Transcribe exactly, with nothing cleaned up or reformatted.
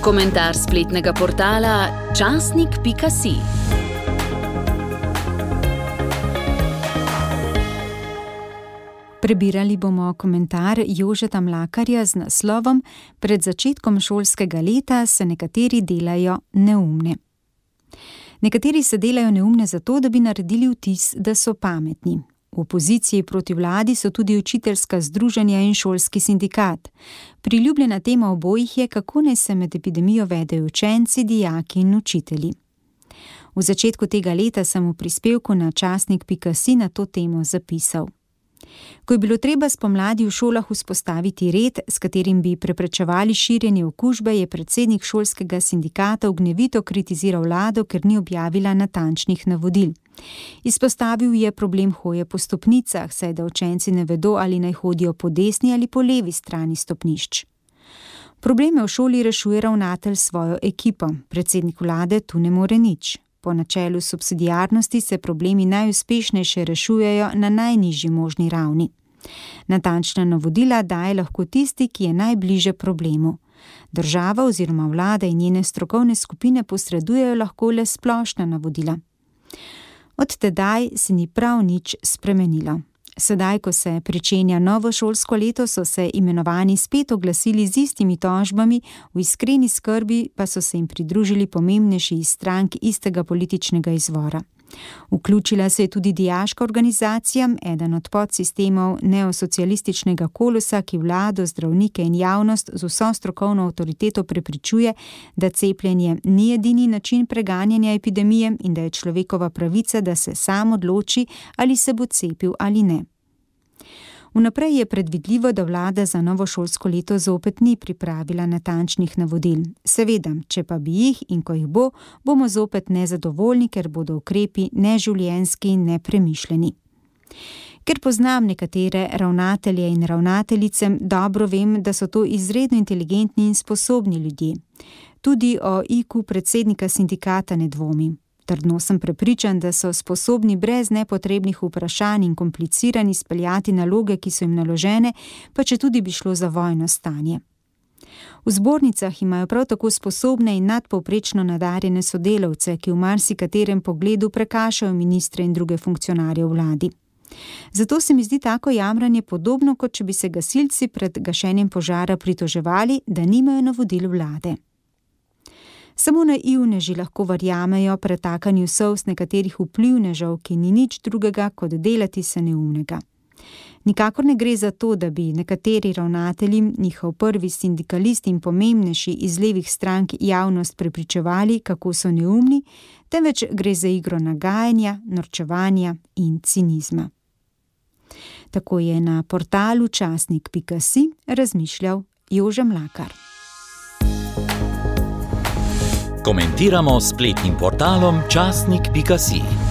Komentar spletnega portala časnik pika si. Prebirali bomo komentar Jožeta Mlakarja z naslovom Pred začetkom šolskega leta se nekateri delajo neumne. Nekateri se delajo neumne zato, da bi naredili vtis, da so pametni. V opoziciji proti vladi so tudi učiteljska združenja in šolski sindikat. Priljubljena tema obojih je, kako naj se med epidemijo vedejo učenci, dijaki in učitelji. V začetku tega leta sem v prispevku na časnik pika si na to temo zapisal. Ko je bilo treba spomladi v šolah vzpostaviti red, s katerim bi preprečevali širjenje okužbe, je predsednik šolskega sindikata ognjevito kritiziral vlado, ker ni objavila natančnih navodil. Izpostavil je problem hoje po stopnicah, saj da učenci ne vedo, ali naj hodijo po desni ali po levi strani stopnišč. Probleme v šoli rešuje ravnatelj s svojo ekipo, predsednik vlade tu ne more nič. Po načelu subsidiarnosti se problemi najuspešneje rešujejo na najnižji možni ravni. Natančna navodila daje lahko tisti, ki je najbliže problemu. Država oziroma vlada in njene strokovne skupine posredujejo lahko le splošna navodila. Od tedaj se ni prav nič spremenilo. Sedaj, ko se pričenja novo šolsko leto, so se imenovani spet oglasili z istimi tožbami, v iskreni skrbi pa so se jim pridružili pomembnejši iz strank istega političnega izvora. Vključila se je tudi dijaška organizacija, eden od podsistemov neosocialističnega kolosa, ki vlado, zdravnike in javnost z vso strokovno avtoriteto prepričuje, da cepljenje ni edini način preganjanja epidemije in da je človekova pravica, da se sam odloči, ali se bo cepil ali ne. Vnaprej je predvidljivo, da vlada za novo šolsko leto zopet ni pripravila natančnih navodil. Seveda, če pa bi jih in ko jih bo, bomo zopet nezadovoljni, ker bodo ukrepi neživljenjski in nepremišljeni. Ker poznam nekatere ravnatelje in ravnateljice, dobro vem, da so to izredno inteligentni in sposobni ljudje. Tudi o I Q predsednika sindikata ne dvomim. Trdno sem prepričan, da so sposobni brez nepotrebnih vprašanj in komplicirani speljati naloge, ki so jim naložene, pa če tudi bi šlo za vojno stanje. V zbornicah imajo prav tako sposobne in nadpovprečno nadarjene sodelavce, ki v marsikaterem pogledu prekašajo ministre in druge funkcionarje v vladi. Zato se mi zdi tako jamranje podobno, kot če bi se gasilci pred gašenjem požara pritoževali, da nimajo navodil vlade. Samo naivneži lahko verjamejo pretakanju solz nekaterih vplivnežev, ki ni nič drugega, kot delati se neumnega. Nikakor ne gre za to, da bi nekateri ravnatelji, njihov prvi sindikalist in pomembnejši iz levih strank javnost prepričevali, kako so neumni, temveč gre za igro nagajanja, norčevanja in cinizma. Tako je na portalu časnik pika si razmišljal Jože Mlakar. Komentiramo s spletnim portalom časnik pika si.